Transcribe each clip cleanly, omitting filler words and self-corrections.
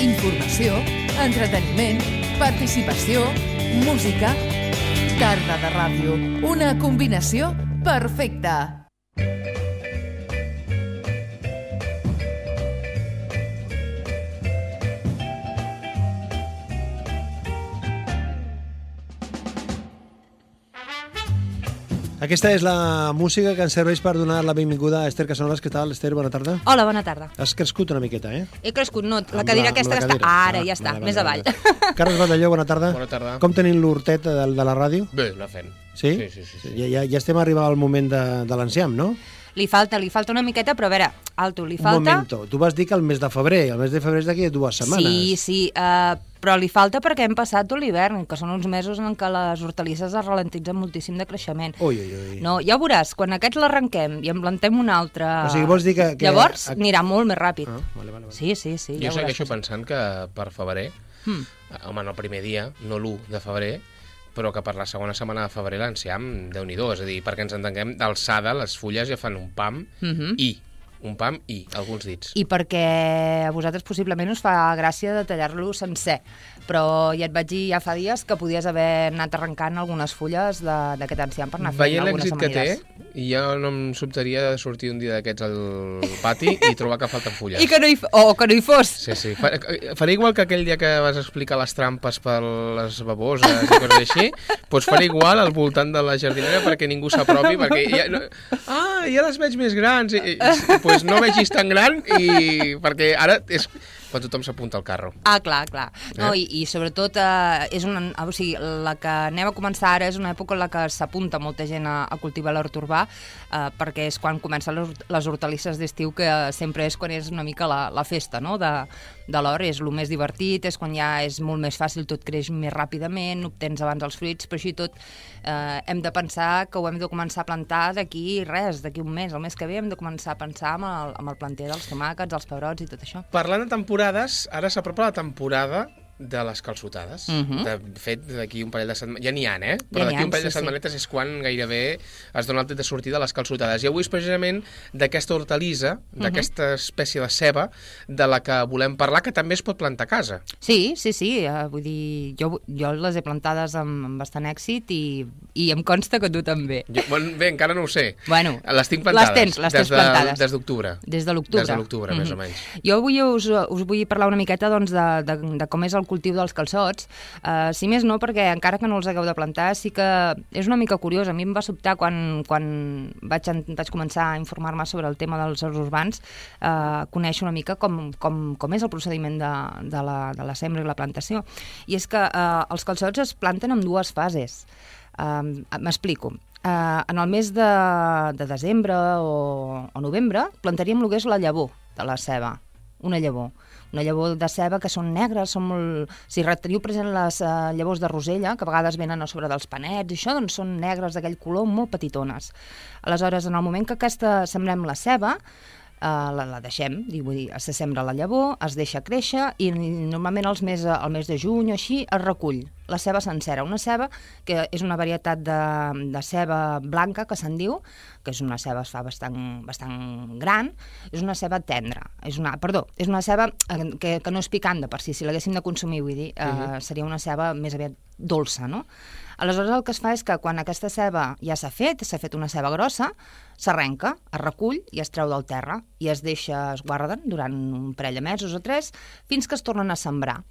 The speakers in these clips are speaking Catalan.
informació, entreteniment, participació, música... Tarda de ràdio, una combinació perfecta. Aquesta és la música que ens serveix per donar la benvinguda a Esther Casanovas. Què tal, Esther? Bona tarda. Hola, bona tarda. Has crescut una miqueta, eh? He crescut, no, la cadira aquesta que està... Ara, ja està, més avall. Carles Batalló, bona tarda. Bona tarda. Com tenim l'hortet de la ràdio? Bé, la fem. Sí? Sí. Ja estem arribant al moment de l'enciam, no? Li falta una miqueta, però a veure, alto, li falta... Un momento, tu vas dir que el mes de febrer és d'aquí 2 setmanes. Sí, però li falta perquè hem passat tot l'hivern, que són uns mesos en què les hortalisses es ralentitzen moltíssim de creixement. Ui. No, ja ho veuràs, quan aquests l'arrenquem i en plantem un altre... O sigui, vols dir que... Llavors anirà molt més ràpid. Vale. Sí, jo ja segueixo pensant que per febrer, home, no el primer dia, no l'1 de febrer, però que per la segona setmana de febrer l'enciam, Déu-n'hi-do, és a dir, perquè ens entenguem, d'alçada, les fulles ja fan un pam i alguns dits. I perquè a vosaltres possiblement us fa gràcia de tallar-lo sencer, però ja et vaig dir ja fa dies que podies haver anat arrencant algunes fulles d'aquest enciam per anar fent algunes amanides. Veient l'èxit que té, ja no em sobtaria de sortir un dia d'aquests al pati i trobar que falten fulles. I que no hi fos. Sí. Faré igual que aquell dia que vas explicar les trampes per les baboses i coses així, doncs faré igual al voltant de la jardinera perquè ningú s'apropi, perquè ja les veig més grans, doncs no vegis tan gran i perquè ara és quan tothom s'apunta al carro. Clar. No, i sobretot o sigui, la que anem a començar ara és una època en la que s'apunta molta gent a cultivar l'hort urbà, perquè és quan comencen les hortalisses d'estiu, que sempre és quan és una mica la festa, no?, de l'hort, és el més divertit, és quan ja és molt més fàcil, tot creix més ràpidament, obtens abans els fruits, però així tot hem de pensar que ho hem de començar a plantar d'aquí un mes, el mes que ve hem de començar a pensar amb el planter dels tomàquets, els pebrots i tot això. Parlant de temporades, ara s'apropa la temporada de les calçotades. De fet, d'aquí un parell de setmanes... Ja n'hi ha, però d'aquí un parell de setmanetes és quan gairebé es dona el tret de sortida de les calçotades. I avui és precisament d'aquesta hortalissa, d'aquesta espècie de ceba, de la que volem parlar, que també es pot plantar a casa. Sí. Vull dir, jo les he plantades amb bastant èxit i em consta que tu també. Bé, encara no ho sé. Bueno, les tinc plantades. Les tens plantades. Des d'octubre. Des de l'octubre. Des de l'octubre, més o menys. Jo avui us vull parlar una miqueta doncs, de com és el cultiu dels calçots, si més no perquè encara que no els hagueu de plantar sí que és una mica curiós. A mi em va sobtar quan vaig començar a informar-me sobre el tema dels horts urbans, conèixer una mica com és el procediment de la sembra i la plantació. I és que els calçots es planten en 2 fases. M'explico. En el mes de desembre o novembre plantaríem el que és la llavor de la ceba, una llavor de ceba que són negres, són molt... Si teniu present les llavors de rosella, que a vegades venen a sobre dels panets i això, doncs són negres d'aquell color, molt petitones. Aleshores, en el moment que sembrem la ceba, la deixem, vull dir, se sembra la llavor, es deixa créixer i normalment al mes de juny o així es recull la ceba sencera, una ceba que és una varietat de ceba blanca que se'n diu, que és una ceba es fa bastant gran, és una ceba tendra, és una ceba que no és picant de per si l'haguéssim de consumir, vull dir, seria una ceba més aviat dolça, no? Aleshores el que es fa és que quan aquesta ceba ja s'ha fet una ceba grossa, s'arrenca, es recull i es treu del terra i es guarden durant un parell de mesos o 3 fins que es tornen a sembrar.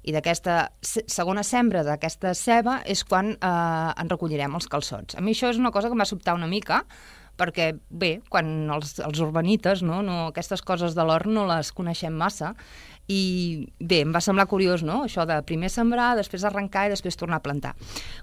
I d'aquesta segona sembra d'aquesta ceba és quan en recollirem els calçots. A mi això és una cosa que m'ha sobtat una mica, perquè, bé, quan els urbanites, aquestes coses de l'hort no les coneixem massa, i bé, em va semblar curiós, no?, això de primer sembrar, després arrencar i després tornar a plantar.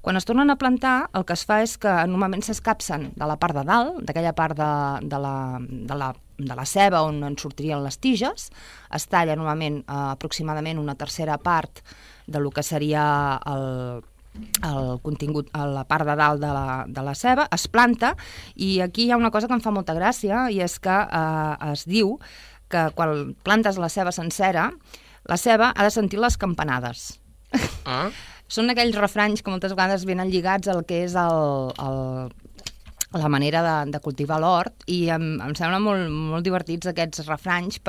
Quan es tornen a plantar, el que es fa és que normalment s'escapsen de la part de dalt, d'aquella part de la ceba on en sortirien les tiges, es talla normalment aproximadament una tercera part de lo que seria el contingut a la part de dalt de la ceba, es planta, i aquí hi ha una cosa que em fa molta gràcia, i és que es diu que quan plantes la ceba sencera, la ceba ha de sentir les campanades. Són aquells refranys que moltes vegades venen lligats al que és la manera de cultivar l'hort, i em sembla molt divertits aquests refranys,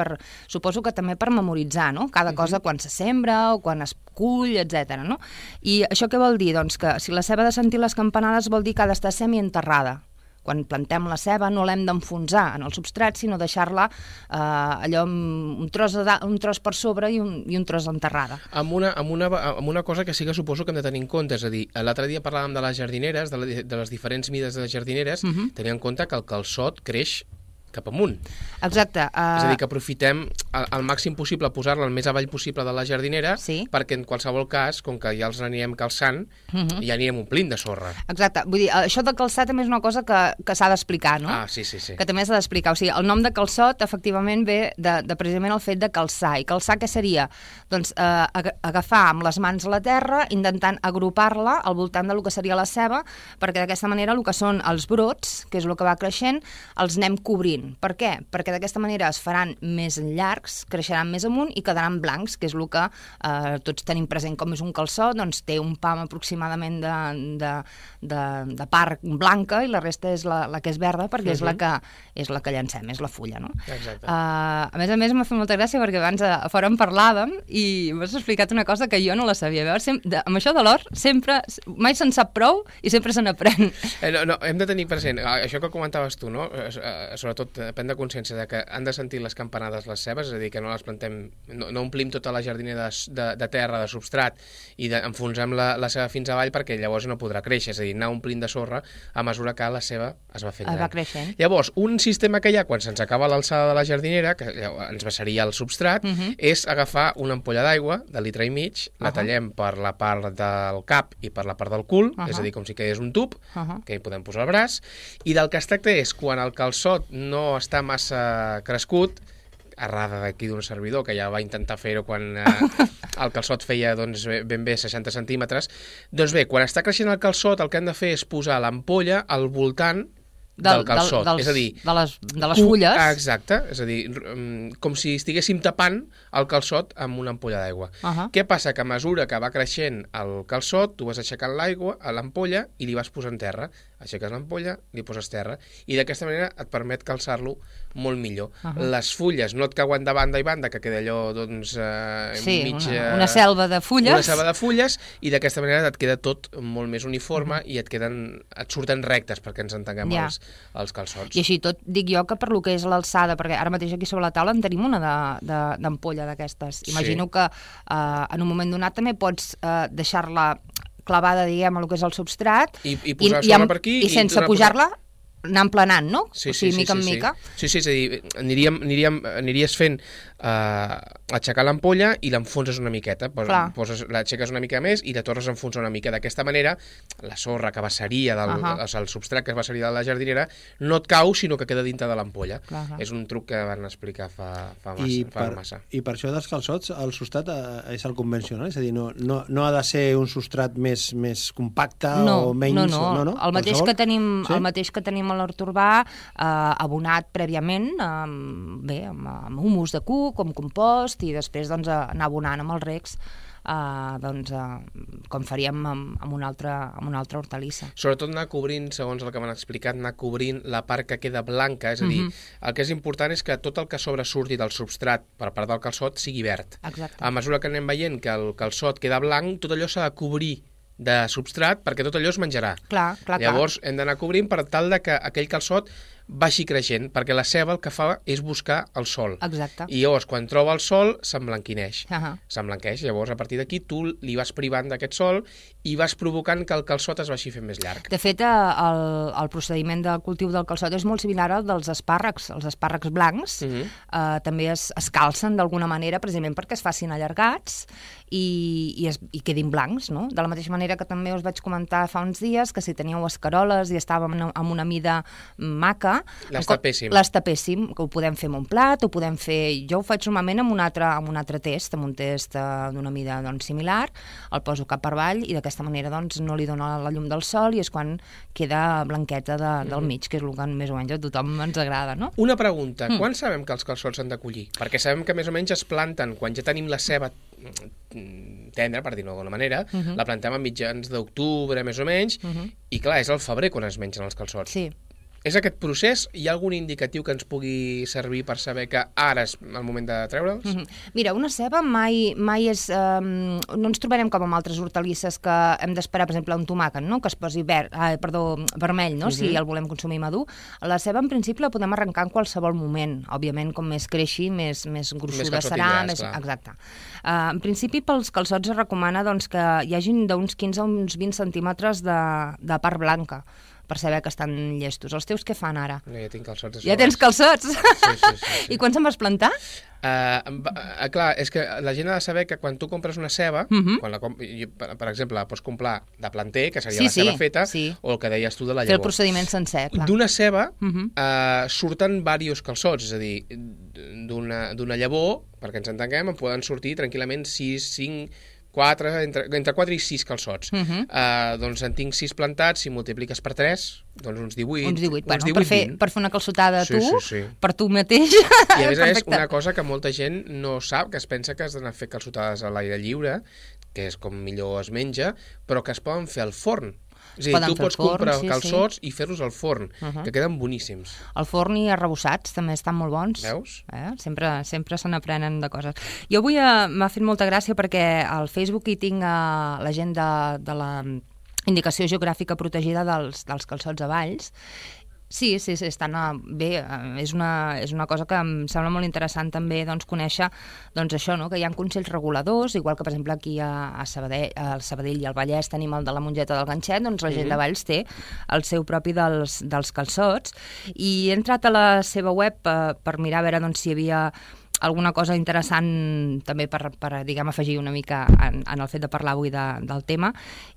suposo que també per memoritzar, no? Cada cosa quan se sembra o quan es cull, etc. No? I això què vol dir? Doncs que si la ceba ha de sentir les campanades vol dir que ha d'estar semienterrada. Quan plantem la ceba no l'hem d'enfonsar en el substrat, sinó deixar-la allò un tros per sobre i un tros enterrada. Amb una cosa que sí que suposo que hem de tenir en compte, és a dir, l'altre dia parlàvem de les jardineres, de les diferents mides de les jardineres, tenir en compte que el calçot creix cap amunt. Exacte. És a dir, que aprofitem al màxim possible posar-la el més avall possible de la jardinera, perquè en qualsevol cas, com que ja els anirem calçant, ja anirem omplint de sorra. Exacte. Vull dir, això de calçar també és una cosa que s'ha d'explicar, no? Sí. Que també s'ha d'explicar. O sigui, el nom de calçot, efectivament, ve de precisament el fet de calçar. I calçar què seria? Doncs agafar amb les mans la terra, intentant agrupar-la al voltant del que seria la ceba, perquè d'aquesta manera el que són els brots, que és el que va creixent, els anem cobrint. Per què? Perquè d'aquesta manera es faran més llargs, creixeran més amunt i quedaran blancs, que és el que tots tenim present com és un calçot, doncs té un pam aproximadament de part blanca i la resta és la que és verda, perquè és la que llancem, és la fulla, no? Exacte. A més m'ha fet molta gràcia perquè abans a fora en parlàvem i m'has explicat una cosa que jo no la sabia. Veure, amb això de l'hort mai se'n sap prou i sempre se n'aprèn. No, hem de tenir present, això que comentaves tu, no? Sobretot depèn de consciència de que han de sentir les campanades les cebes, és a dir, que no les plantem, no omplim tota la jardinera de terra, de substrat, i enfonsem la ceba fins avall perquè llavors no podrà créixer, és a dir, anar omplint de sorra a mesura que la ceba es va fent gran. Va creixent. Llavors, un sistema que hi ha quan se'ns acaba l'alçada de la jardinera, que ens baixaria el substrat, és agafar una ampolla d'aigua de litre i mig, la tallem per la part del cap i per la part del cul, és a dir, com si quedés un tub, que hi podem posar el braç, i del que es tracta és, quan el calçot no està massa crescut, errada d'aquí d'un servidor, que ja va intentar fer-ho quan el calçot feia ben bé 60 centímetres, doncs bé, quan està creixent el calçot el que hem de fer és posar l'ampolla al voltant del calçot, és a dir, de les fulles. Exacte, és a dir, com si estiguéssim tapant el calçot amb una ampolla d'aigua. Què passa? Que a mesura que va creixent el calçot, tu vas aixecant l'aigua a l'ampolla i li vas posant terra. Aixeques l'ampolla, li poses terra, i d'aquesta manera et permet calçar-lo molt millor. Les fulles no et cauen de banda i banda, que queda allò, doncs, una selva de fulles. Una selva de fulles, i d'aquesta manera et queda tot molt més uniforme i et surten rectes, perquè ens entenguem els calçots. I així tot dic jo que per lo que és l'alçada, perquè ara mateix aquí sobre la taula en tenim una d'ampolla d'aquestes. Imagino que en un moment donat també pots deixar-la clavada, diguem, el que és el substrat i posar sorra per aquí i sense pujar-la anar emplenant, no? Sí, mica en mica. Sí, és a dir, aniries fent aixecar l'ampolla i l'enfonses una miqueta, l'aixeques una mica més i la tornes a enfonsar una mica. D'aquesta manera, la sorra que baixaria, el substrat que baixaria de la jardinera, no et cau, sinó que queda dintre de l'ampolla. És un truc que van explicar fa massa. I per això dels calçots, el substrat és el convencional? És a dir, no ha de ser un substrat més compacte o menys? No. El mateix que tenim a l'hort urbà, abonat prèviament, amb humus de cuc, com compost, i després anar abonant amb els recs, com faríem amb una altra hortalissa. Sobretot anar cobrint, segons el que m'han explicat, anar cobrint la part que queda blanca, és a dir, el que és important és que tot el que sobresurti del substrat per part del calçot sigui verd. Exacte. A mesura que anem veient que el calçot queda blanc, tot allò s'ha de cobrir de substrat perquè tot allò es menjarà. Llavors hem d'anar cobrint per tal de que aquell calçot baixi creixent, perquè la ceba el que fa és buscar el sol. Exacte. I llavors, quan troba el sol, s'emblanquineix. S'emblanqueix. Llavors, a partir d'aquí, tu li vas privant d'aquest sol i vas provocant que el calçot es vagi fent més llarg. De fet, el procediment del cultiu del calçot és molt similar al dels espàrrecs. Els espàrrecs blancs també es calcen d'alguna manera, precisament perquè es facin allargats i quedin blancs, no? De la mateixa manera que també us vaig comentar fa uns dies que si teníeu escaroles i estàvem en una mida maca, les tapéssim. Les tapéssim, que ho podem fer amb un plat, ho podem fer... Jo ho faig normalment amb un altre test, amb un test d'una mida similar, el poso cap per avall i d'aquesta manera no li dona la llum del sol i és quan queda blanqueta del mig, que és el que més o menys a tothom ens agrada, no? Una pregunta, quan sabem que els calçots s'han de collir? Perquè sabem que més o menys es planten quan ja tenim la ceba tendra, per dir-ho d'alguna manera, la plantem a mitjans d'octubre, més o menys, i clar, és al febrer quan es mengen els calçots. Sí. És aquest procés? Hi ha algun indicatiu que ens pugui servir per saber que ara és el moment de treure'ls? Mira, una ceba mai és... no ens trobarem com amb altres hortalisses que hem d'esperar, per exemple, un tomàquet, no? Que es posi vermell, no? Si el volem consumir madur. La ceba, en principi, la podem arrencar en qualsevol moment. Òbviament, com més creixi, més gruixuda serà. Exacte. En principi, pels calçots es recomana doncs, que hi hagin d'uns 15 a uns 20 centímetres de part blanca, per saber que estan llestos. Els teus què fan ara? No, ja tinc calçots. Ja tens calçots? Sí. I quan se'n vas plantar? Clar, és que la gent ha de saber que quan tu compres una ceba, per exemple, la pots comprar de planter, que seria la ceba feta, o el que deies tu de la llavor. Fer el procediment sencer, clar. D'una ceba surten diversos calçots, és a dir, d'una llavor, perquè ens entenguem, en poden sortir tranquil·lament 6, 5... entre 4 i 6 calçots. Doncs en tinc 6 plantats, si multipliques per 3, doncs uns 18. Uns 18, bueno, per fer una calçotada sí. per tu mateix. I a més una cosa que molta gent no sap, que es pensa que has d'anar a fer calçotades a l'aire lliure, que és com millor es menja, però que es poden fer al forn. És a dir, tu pots comprar calçots i fer-los al forn, que queden boníssims. Al forn i arrebossats també estan molt bons. Veus? Sempre se n'aprenen de coses. Jo avui m'ha fet molta gràcia perquè al Facebook hi tinc la gent de la indicació geogràfica protegida dels calçots a Valls. Sí, estan bé. És una cosa que em sembla molt interessant també conèixer això, no? Que hi ha consells reguladors, igual que, per exemple, aquí a Sabadell i al Vallès tenim el de la Mongeta del Ganxet, doncs la gent de Valls té el seu propi dels calçots. I he entrat a la seva web per mirar a veure si hi havia alguna cosa interessant també per diguem, afegir una mica en el fet de parlar avui del tema,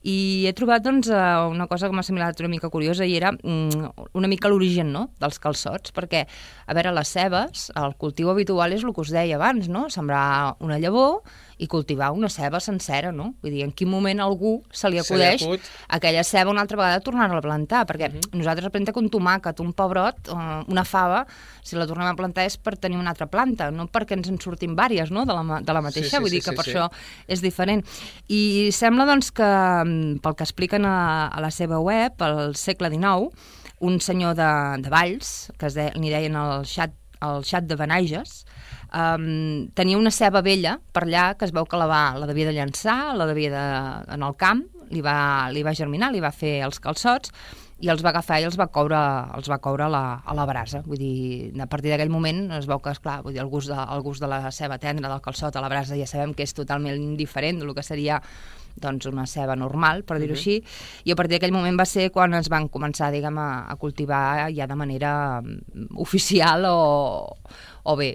i he trobat una cosa que m'ha semblat una mica curiosa, i era una mica l'origen, no?, dels calçots, perquè, a veure, les cebes, el cultiu habitual és el que us deia abans, no?, sembrar una llavor i cultivar una ceba sencera, no? Vull dir, en quin moment a algú se li acudeix aquella ceba una altra vegada tornar-la a plantar, perquè nosaltres plantar un tomàquet, un pebrot, una fava, si la tornem a plantar és per tenir una altra planta, no perquè ens en surtin vàries, no?, de la mateixa, vull dir que per això és diferent. I sembla, doncs, que pel que expliquen a la seva web, al segle XIX, un senyor de Valls, que n'hi deien el xat de Benaiges, tenia una ceba vella per allà que es veu que la devia de llançar, la devia en el camp, li va germinar, li va fer els calçots i els va agafar i els va coure a la brasa. Vull dir, a partir d'aquell moment es veu que, esclar, vull dir, el gust de la ceba tendra, del calçot a la brasa, ja sabem que és totalment diferent del que seria doncs una ceba normal, per dir-ho així, i a partir d'aquell moment va ser quan es van començar, diguem, a cultivar ja de manera oficial o bé,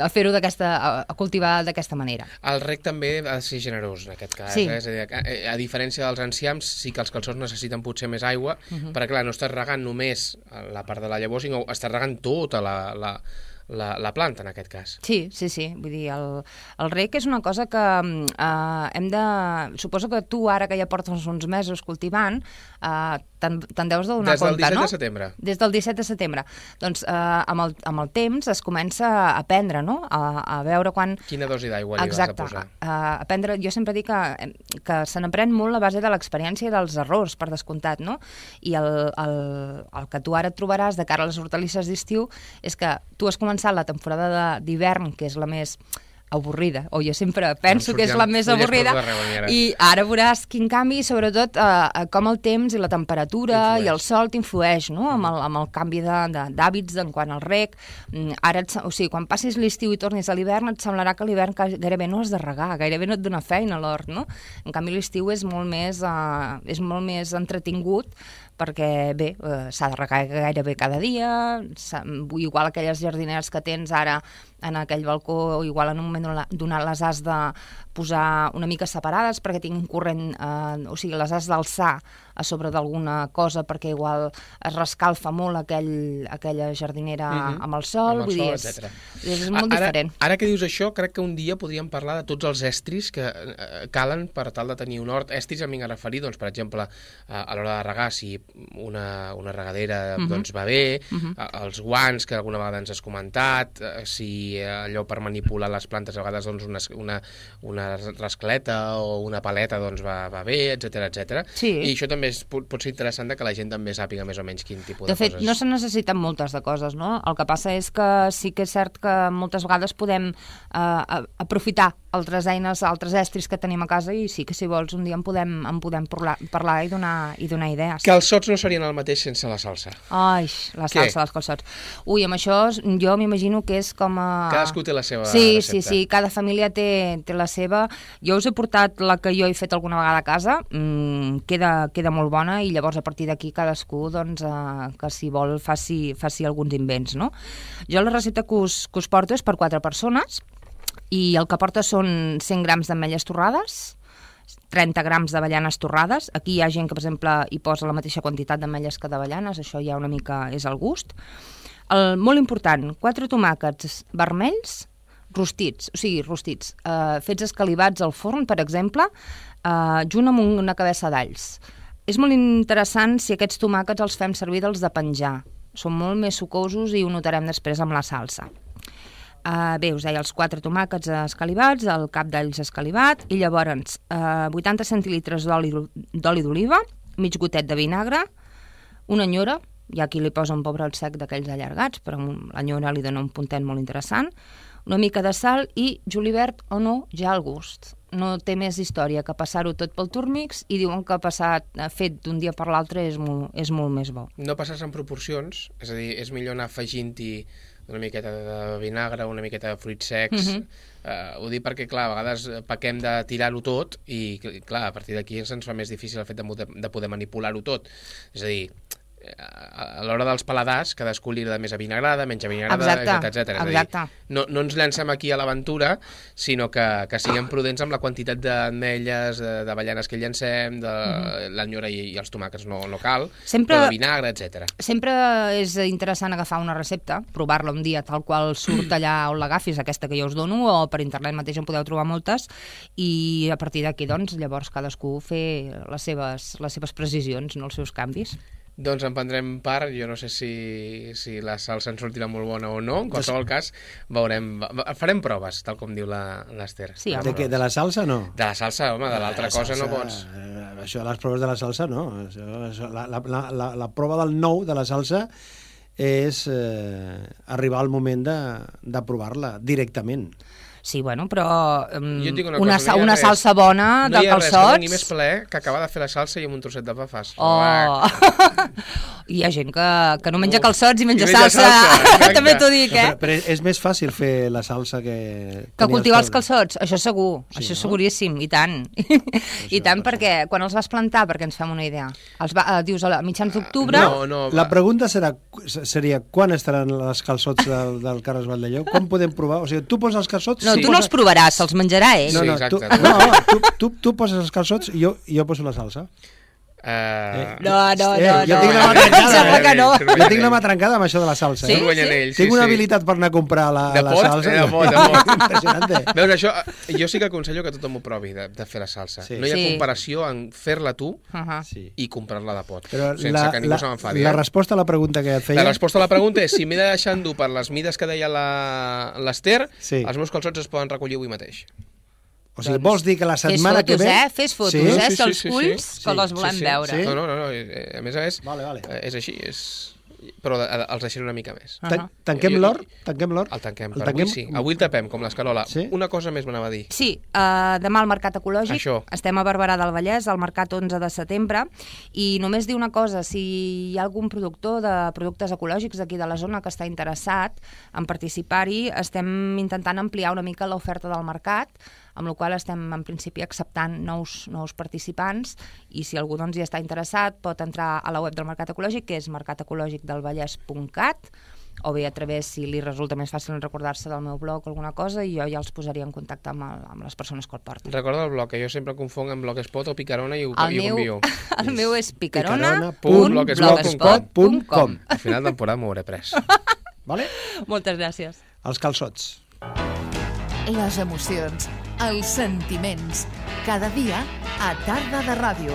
a fer-ho a cultivar d'aquesta manera. El reg també ha de ser generós, en aquest cas. És a dir, a diferència dels enciams, sí que els calçots necessiten potser més aigua, perquè, clar, no estàs regant només la part de la llavor, sinó estàs regant tota la planta, en aquest cas. Sí. Vull dir, el reg és una cosa que hem de... Suposo que tu, ara que ja portes uns mesos cultivant, te'n deus d'adonar compte, no? Des del 17 de setembre. Des del 17 de setembre. Doncs amb el temps es comença a aprendre, no?, a veure quan... Quina dosi d'aigua li vas a posar. Aprendre, jo sempre dic que se n'aprèn molt a base de l'experiència i dels errors, per descomptat, no? I el que tu ara et trobaràs de cara a les hortalisses d'estiu és que tu has començat la temporada d'hivern, que és la més avorrida, o jo sempre penso que és la més avorrida, i ara veuràs quin canvi, sobretot com el temps i la temperatura i el sol t'influeix, no?, amb el canvi d'hàbits en quant al reg. Ara, o sigui, quan passis l'estiu i tornis a l'hivern, et semblarà que l'hivern gairebé no has de regar, gairebé no et dona feina a l'hort, no? En canvi, l'estiu és molt més entretingut, perquè, bé, s'ha de regar gairebé cada dia, igual aquelles jardineres que tens ara en aquell balcó, igual en un moment donat les has de posar una mica separades perquè tinc un corrent, o sigui, les has d'alçar a sobre d'alguna cosa perquè igual es rescalfa molt aquella jardinera amb el sol, vull dir, és molt diferent. Ara que dius això, crec que un dia podríem parlar de tots els estris que calen per tal de tenir un hort. Estris em vinc a referir, doncs, per exemple, a l'hora de regar, si una regadera doncs va bé, els guants, que alguna vegada ens has comentat, si allò per manipular les plantes a vegades doncs una rascleta o una paleta doncs va bé, etc. Sí. I això també també pot ser interessant que la gent també sàpiga més o menys quin tipus de coses. De fet, no se necessiten moltes de coses, no? El que passa és que sí que és cert que moltes vegades podem aprofitar altres eines, altres estris que tenim a casa i sí que si vols un dia en podem parlar i donar idees. Calçots no serien el mateix sense la salsa. Ai, la salsa dels calçots. Ui, amb això jo m'imagino que és com a... Cadascú té la seva recepta. Sí, cada família té la seva. Jo us he portat la que jo he fet alguna vegada a casa, queda molt bona i llavors a partir d'aquí cadascú doncs, que si vol faci alguns invents, no? Jo la recepta que us porto és per 4 persones i el que porta són 100 grams d'ametlles torrades, 30 grams d'avellanes torrades. Aquí hi ha gent que, per exemple, hi posa la mateixa quantitat d'ametlles que d'avellanes, això ja una mica és al gust. Molt important, 4 tomàquets vermells rostits, fets escalivats al forn, per exemple, junt amb una cabeça d'alls. És molt interessant si aquests tomàquets els fem servir dels de penjar. Són molt més sucosos i ho notarem després amb la salsa. Bé, us deia, els 4 tomàquets escalivats, el cap d'alls escalivat, i llavors 80 centilitres d'oli d'oliva, mig gotet de vinagre, una nyora, hi ha qui li posa un pebrot sec d'aquells allargats, però la nyora li dona un puntet molt interessant, una mica de sal i julivert o no, ja al gust. No té més història que passar-ho tot pel turmix i diuen que fet d'un dia per l'altre és molt més bo. No passar-se en proporcions, és a dir, és millor anar afegint-hi una miqueta de vinagre, una miqueta de fruits secs. Ho dic perquè, clar, a vegades pequem de tirar-ho tot i, clar, a partir d'aquí ens fa més difícil el fet de poder manipular-ho tot. És a dir, a l'hora dels paladars, cadascú li agrada més avinagrada, menys avinagrada, etc. Exacte. No ens llancem aquí a l'aventura, sinó que siguem prudents amb la quantitat d'ametlles, d'avellanes que llancem, de l'anyora i els tomàquets no cal, però de vinagre, etc. Sempre és interessant agafar una recepta, provar-la un dia tal qual surt allà on l'agafis, aquesta que jo us dono, o per internet mateix en podeu trobar moltes, i a partir d'aquí, doncs, llavors cadascú fer les seves precisions, no els seus canvis. Doncs en prendrem part, jo no sé si la salsa ens sortirà molt bona o no, en qualsevol cas veurem, farem proves, tal com diu l'Ester. Sí, de la salsa no? De la salsa, home, de l'altra cosa no pots. Això, les proves de la salsa no. La prova del nou de la salsa és arribar al moment de provar-la directament. Sí, bueno, però una cosa, salsa bona de calçots... No hi ha res que més plaer que acabar de fer la salsa i amb un trosset de pa fas. Oh! Hi ha gent que no menja calçots i menja salsa. També t'ho dic, Però és més fàcil fer la salsa que cultivar els calçots, això segur, això seguríssim, i tant. I tant, perquè quan els vas plantar, perquè ens fem una idea, dius a mitjans d'octubre... La pregunta seria quan estaran els calçots del Carles Valldelló? Quan podem provar? O sigui, tu poses els calçots... No, tu no els provaràs, se'ls menjarà ell. Sí, exacte. Tu poses els calçots i jo poso la salsa. No. Jo tinc la mà trencada. Sembla que no. Jo tinc la mà trencada amb això de la salsa. Sí? Tinc una habilitat per anar a comprar la salsa. De pot. Impressionante. Veus, això, jo sí que aconsello que tothom ho provi, de fer la salsa. No hi ha comparació en fer-la tu i comprar-la de pot, sense que ningú se m'enfadi. La resposta a la pregunta que et feia... La resposta a la pregunta és, si m'he de deixar endur per les mides que deia l'Ester, els meus calçots es poden recollir avui mateix. O sigui, vols dir que la setmana que ve... Fes fotos, si els culls, que les volem veure. No, a més, és així, però els deixaré una mica més. Tanquem l'hort? El tanquem, per avui sí. Avui el tapem, com l'escarola. Una cosa més m'anava a dir. Sí, demà al Mercat Ecològic, estem a Barberà del Vallès, al Mercat 11 de setembre, i només dir una cosa, si hi ha algun productor de productes ecològics d'aquí de la zona que està interessat en participar-hi, estem intentant ampliar una mica l'oferta del mercat, amb la qual estem en principi acceptant nous participants, i si algú hi està interessat pot entrar a la web del Mercat Ecològic, que és mercatecologicdelvallès.cat, o bé a través, si li resulta més fàcil recordar-se del meu blog o alguna cosa, i jo ja els posaria en contacte amb les persones que el porten. Recorda el blog, que jo sempre confong amb Blogspot o Picarona i ho envio. El meu és picarona.blogspot.com. Al final de temporada m'ho hauré pres. Vale? Moltes gràcies. Els calçots. Les emocions, els sentiments, cada dia a Tarda de Ràdio.